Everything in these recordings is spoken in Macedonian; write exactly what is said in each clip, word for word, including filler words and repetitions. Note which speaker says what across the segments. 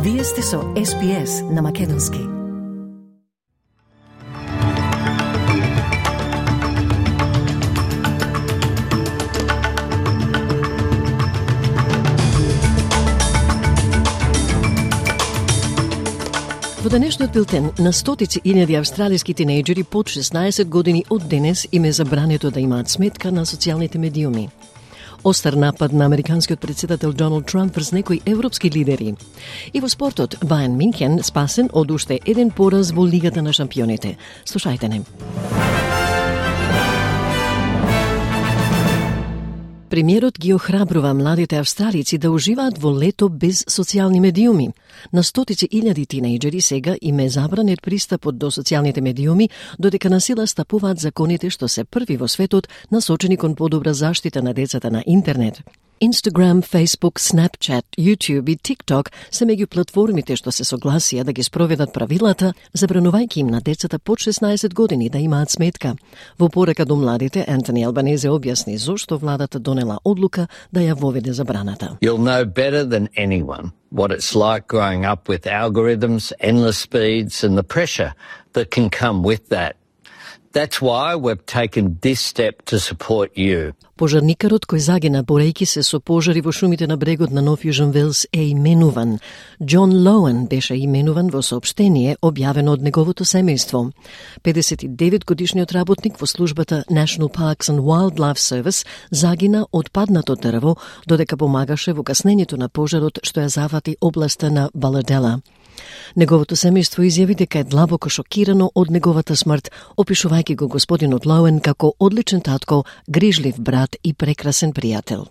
Speaker 1: Вие сте со Ес Би Ес на Македонски. Во денешниот билтен на стотици илјади австралиски тинејџери под шеснаесет години од денес им е забрането да имаат сметка на социјалните медиуми. Остар напад на американскиот претседател Доналд Трамп врз некои европски лидери. И во спортот, Бајерн Минхен спасен од уште еден пораз во Лигата на шампионите. Слушајте не. Премиерот ги охрабрува младите австралици да уживаат во лето без социјални медиуми. На стотици илјади тинејџери сега им е забранет пристапот до социјалните медиуми, додека на сила стапуваат законите што се први во светот насочени кон подобра заштита на децата на интернет. Instagram, Facebook, Snapchat, YouTube и TikTok се меѓу платформите што се согласија да ги спроведат правилата, забранувајќи им на децата под шеснаесет години да имаат сметка. Во порака до младите, Антони Албанезе објасни зошто владата донела одлука да ја воведе забраната.
Speaker 2: You'll know better than anyone what it's like growing up with algorithms, endless speeds and the pressure that can come with that. That's why we've taken this step to support you.
Speaker 3: Пожарникарот кој загина борејќи се со пожари во шумите на брегот на Нов Јужен Велс е именуван. Џон Лоуен беше именуван во соопштение објавено од неговото семејство. педесет и девет годишниот работник во службата National Parks and Wildlife Service загина од паднато дрво додека помагаше во гаснењето на пожарот што ја зафати областа на Баладела. Неговото семејство изјави дека е длабоко шокирано од неговата смрт, опишувајќи го господинот Лоуен како одличен татко, грижлив брат и прекрасен пријател.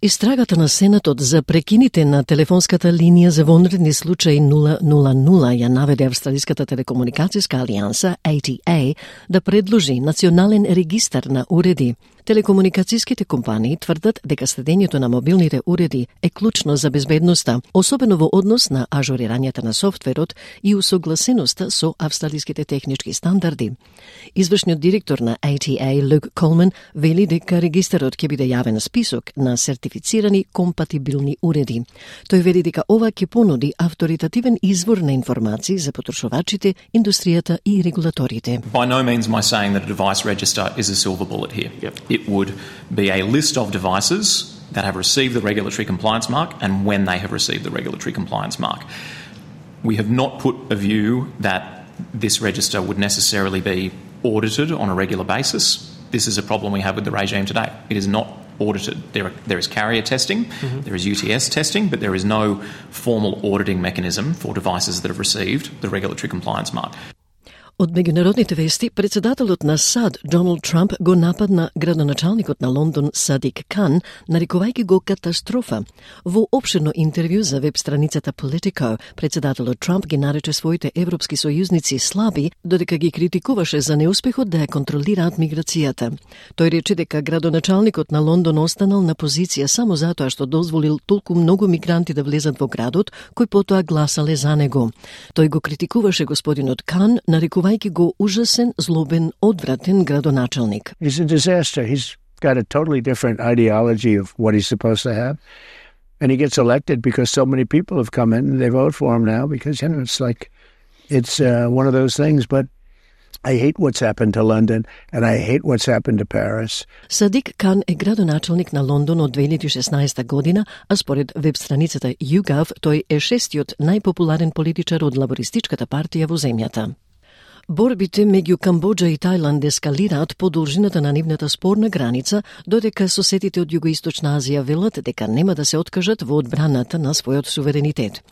Speaker 3: Истрагата на Сенатот за прекините на телефонската линија за вонредни случаи нула нула нула ја наведе Австралиската телекомуникацијска алијанса А Т А да предложи национален регистар на уреди. Телекомуникацијските компании тврдат дека следењето на мобилните уреди е клучно за безбедноста, особено во однос на ажурирањето на софтверот и усогласеноста со австралиските технички стандарди. Извршниот директор на А Т А, Люк Колман, вели дека регистарот ќе биде јавен список на сертифицирани компатибилни уреди. Тој вели дека ова ќе понуди авторитативен извор на информации за потрошувачите, индустријата и регулаторите.
Speaker 4: By no means am I saying that a device register is a silver bullet here. Yep. It would be a list of devices that have received the regulatory compliance mark and when they have received the regulatory compliance mark. We have not put a view that this register would necessarily be audited on a regular basis. This is a problem we have with the regime today. It is not audited. There, are, there is carrier testing, mm-hmm. there is U T S testing, but there is no formal auditing mechanism for devices that have received the regulatory compliance mark.
Speaker 3: Од меѓународните вести, председателот на САД, Доналд Трамп, го нападна градоначалникот на Лондон, Садик Кан, нарекувајќи го катастрофа. Во опширно интервју за веб страницата Politico, председателот Трамп ги нарече своите европски сојузници слаби, додека ги критикуваше за неуспехот да ја контролираат миграцијата. Тој рече дека градоначалникот на Лондон останал на позиција само затоа што дозволил толку многу мигранти да влезат во градот, кои потоа гласале за него. Тој го критикуваше господинот Кан, нарекувајќи го ужасен, злобен, одвратен градоначалник.
Speaker 5: He's a disaster. He's got a totally different ideology of what he's supposed to have. And he gets elected because so many people have come in and they vote for him now because, you know, it's like, it's uh, one of those things. But I hate what's happened to London and I hate what's happened to Paris.
Speaker 3: Садик Кан е градоначалник на Лондон од две илјади и шеснаесета година, а според веб страницата YouGov, тој е шестиот најпопуларен политичар од лабористичката партија во земјата. Борбите меѓу Камбоџа и Тајланд ескалираат по должината на нивната спорна граница, додека соседите од Југоисточна Азија велат дека нема да се откажат во одбраната на својот суверенитет.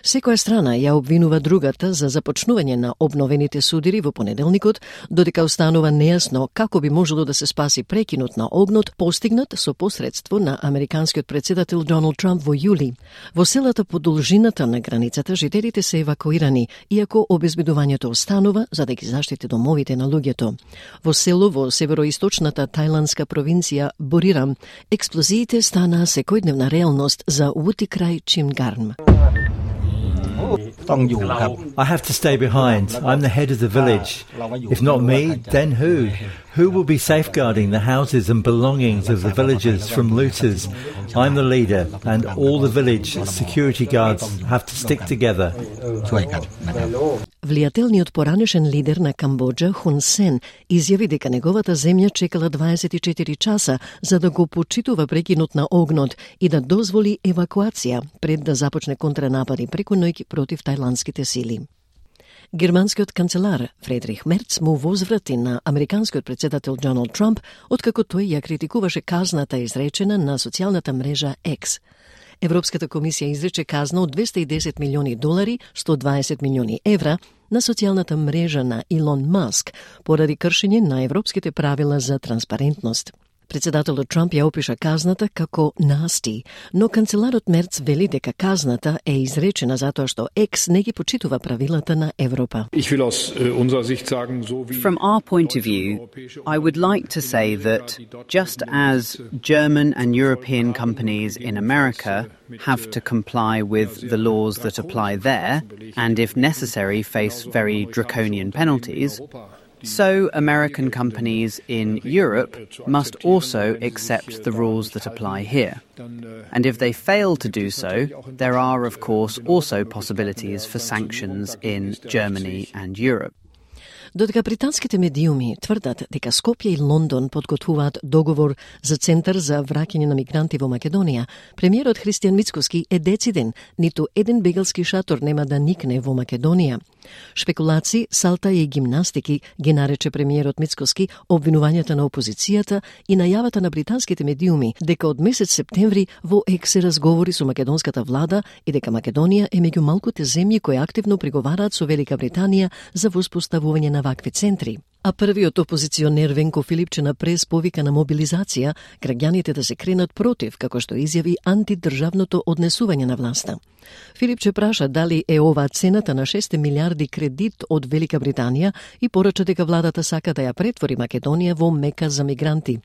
Speaker 3: Секоја страна ја обвинува другата за започнување на обновените судири во понеделникот, додека останува нејасно како би можело да се спаси прекинот на огнот постигнат со посредство на американскиот претседател Доналд Трамп во јули. Во селата по должината на границата жителите се евакуирани, иако обезбедувањето останува за да ги заштити домовите на луѓето. Во село во североисточната тајландска провинција Бурирам, експлозиите станаа секојдневна реалност за Вути крај Чимгарм.
Speaker 6: I have to stay behind. I'm the head of the village. If not me, then who? Who will be safeguarding the houses and belongings of the villagers from looters? I'm the leader, and all the village security guards have to stick together.
Speaker 1: Влијателниот поранешен лидер на Камбоџа, Хун Сен, изјави дека неговата земја чекала дваесет и четири часа за да го почитува прекинот на огнот и да дозволи евакуација пред да започне контранапади преку ноќ против тајландските сили. Германскиот канцелар Фредрих Мерц му возврати на американскиот претседател Доналд Трамп откако тој ја критикуваше казната изречена на социјалната мрежа X. Европската комисија изрече казна од двесте и десет милиони долари, сто дваесет милиони евра, на социјалната мрежа на Илон Маск поради кршење на европските правила за транспарентност. Председателот Трамп ја опиша казната како насти, но канцеларот Мерц вели дека казната е изречена затоа што X не ги почитува правилата на Европа.
Speaker 7: From our point of view, I would like to say that just as German and European companies in America have to comply with the laws that apply there, and if necessary face very draconian penalties, so American companies in Europe must also accept the rules that apply here. And if they fail to do so, there are, of course, also possibilities for sanctions in Germany and Europe.
Speaker 1: Додека британските медиуми тврдат дека Скопје и Лондон подготвуваат договор за центар за враќање на мигранти во Македонија, премиерот Христијан Мицкоски е дециден, ниту еден бегалски шатор нема да никне во Македонија. Шпекулации, салта и гимнастики ги нарече премиерот Мицкоски обвинувањата на опозицијата и најавата на британските медиуми дека од месец септември во X се разговори со македонската влада и дека Македонија е меѓу малкуте земји кои активно преговараат со Велика Британија за воспоставување на вакви центри. А првиот опозиционер Венко Филипче на прес повика на мобилизација граѓаните да се кренат против, како што изјави антидржавното однесување на власта. Филипче праша дали е ова цената на шест милиарди кредит од Велика Британија и порача дека владата сака да ја претвори Македонија во мека за мигранти.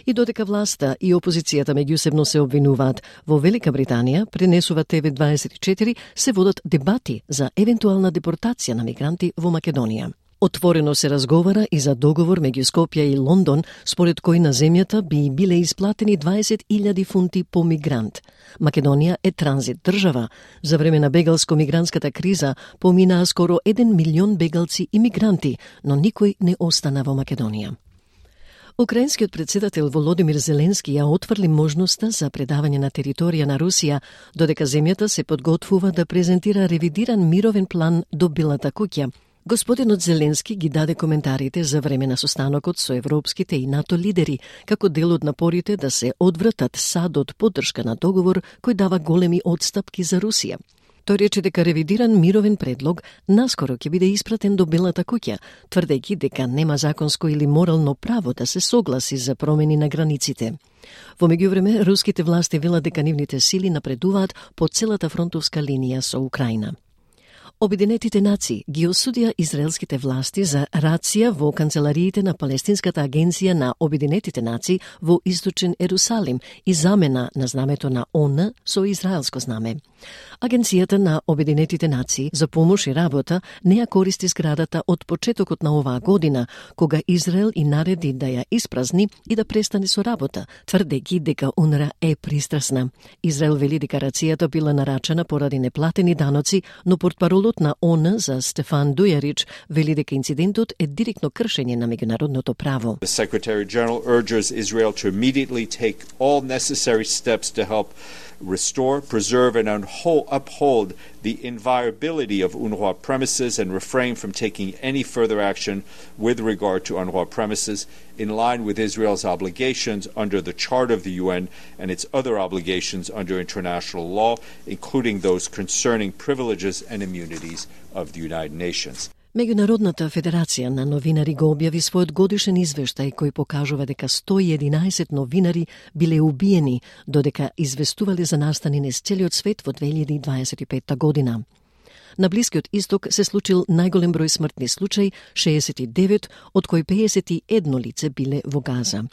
Speaker 1: И додека власта и опозицијата меѓусебно се обвинуваат, во Велика Британија, пренесува Т В дваесет и четири, се водат дебати за евентуална депортација на мигранти во Македонија. Отворено се разговара и за договор меѓу Скопје и Лондон, според кој на земјата би биле исплатени дваесет илјади фунти по мигрант. Македонија е транзит држава. За време на бегалско-мигрантската криза поминаа скоро еден милион бегалци и мигранти, но никој не остана во Македонија. Украинскиот председател Володимир Зеленски ја отврли можноста за предавање на територија на Русија, додека земјата се подготвува да презентира ревидиран мировен план до Белата куќа. Господинот Зеленски ги даде коментарите за време на состанокот со европските и НАТО лидери, како дел од напорите да се одвратат садот поддршка на договор кој дава големи одстапки за Русија. Тој рече дека ревидиран мировен предлог наскоро ќе биде испратен до Белата куќа, тврдејќи дека нема законско или морално право да се согласи за промени на границите. Во меѓувреме, руските власти велат дека нивните сили напредуваат по целата фронтовска линија со Украина. Обединетите нации ги осудија израелските власти за рација во канцелариите на Палестинската агенција на Обединетите нации во Источен Ерусалим и замена на знамето на О Н со израелско знаме. Агенцијата на Обединетите нации за помош и работа не ја користи зградата од почетокот на оваа година, кога Израел и нареди да ја испразни и да престане со работа, тврдејќи дека У Н Р А е пристрасна. Израел вели дека рацијата била нарачена поради неплатени даноци, но портпаролот на О Н за Стефан Дујарич вели дека инцидентот е директно кршење на меѓународното право.
Speaker 8: The Secretary General urges Israel to immediately take all necessary steps to help restore, preserve and uphold the inviolability of UNRWA premises and refrain from taking any further action with regard to UNRWA premises in line with Israel's obligations under the Charter of the U N and its other obligations under international law, including those concerning privileges and immunities of the United Nations.
Speaker 1: Меѓународната федерација на новинари го објави својот годишен извештај кој покажува дека сто и единаесет новинари биле убиени, додека известувале за настани низ целиот свет во две илјади и дваесет и петта година. На Блискиот исток се случил најголем број смртни случаи, шеесет и девет, од кои пеесет и едно лице биле во Газа.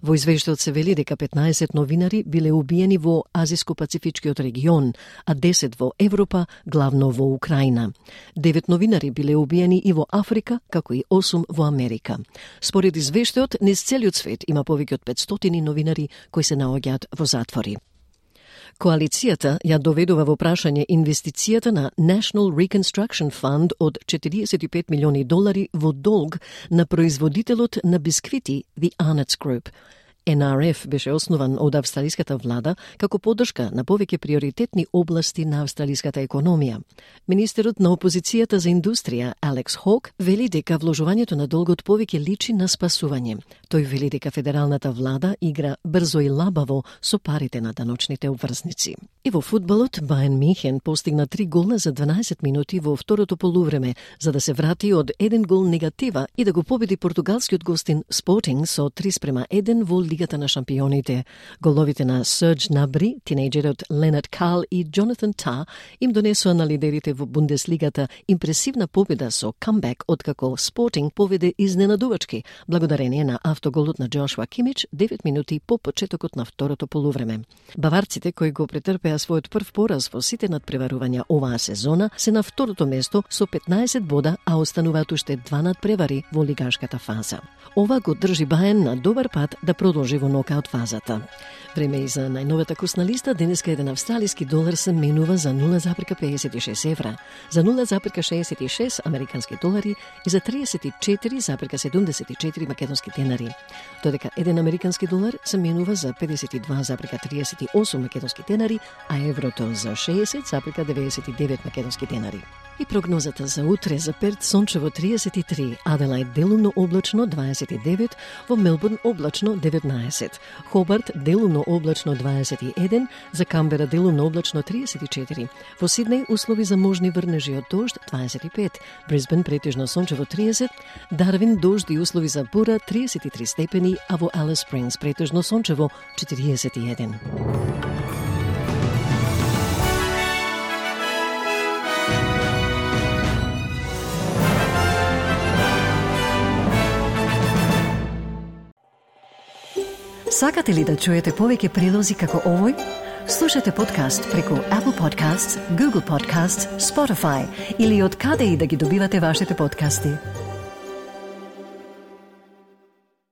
Speaker 1: Во извештајот се вели дека петнаесет новинари биле убиени во Азиско-Пацифичкиот регион, а десет во Европа, главно во Украина. девет новинари биле убиени и во Африка, како и осум во Америка. Според извештајот, низ целиот свет има повеќе од петстотини новинари кои се наоѓаат во затвори. Коалицијата ја доведува во прашање инвестицијата на National Reconstruction Fund од четириесет и пет милиони долари во долг на производителот на бисквити The Arnott's Group. Ен Ар Еф беше основан од австралиската влада како поддршка на повеќе приоритетни области на австралиската економија. Министерот на опозицијата за индустрија, Алекс Хок, вели дека вложувањето на долгот повеќе личи на спасување. Тој вели дека федералната влада игра брзо и лабаво со парите на даночните обврзници. И во фудбалот, Бајерн Мюнхен постигна три гола за дванаесет минути во второто полувреме, за да се врати од еден гол негатива и да го победи португалскиот гостин Спортинг со три спрема еден во Лигата на шампионите. Головите на Сердж Набри, тинејџерот Ленард Карл и Джонатан Та им донесоа на лидерите во Бундеслигата импресивна победа со камбек, откако Спортинг поведе изненадувачки, благодарение на автоголот на Джошуа Кимич девет минути по почетокот на второто полувреме. Баварците, кои го претрпеа својот прв пораз во сите надпреварувања оваа сезона, се на второто место со петнаесет бода, а остануваат уште два надпревари во лигашката фаза. Ова го држи Бајерн на добар пат да продолжи во нокаут фазата. Време и за најновата курсна листа. Денеска еден австралиски долар се менува за нула запирка пеесет и шест евра, за нула запирка шеесет и шест американски долари и за триесет и четири запирка седумдесет и четири македонски денари. Додека еден американски долар се менува за педесет и два запирка триесет и осум македонски денари, а еврото за шеесет запирка деветдесет и девет македонски денари. И прогнозата за утре: за Перт сончево триесет и три, Аделајд делумно облачно дваесет и девет, во Мелбурн облачно деветнаесет, Хобарт делумно облачно дваесет и еден, за Камбера делумно облачно триесет и четири, во Сиднеј услови за можни врнежи од дожд дваесет и пет, Брисбен претежно сончево триесет, Дарвин дожд и услови за бура триесет и три степени, а во Алис Спрингс претежно сончево четириесет и еден.
Speaker 3: Сакате ли да чуете повеќе прилози како овој? Слушате подкаст преку Apple Podcasts, Google Podcasts, Spotify или од каде и да ги добивате вашите подкасти.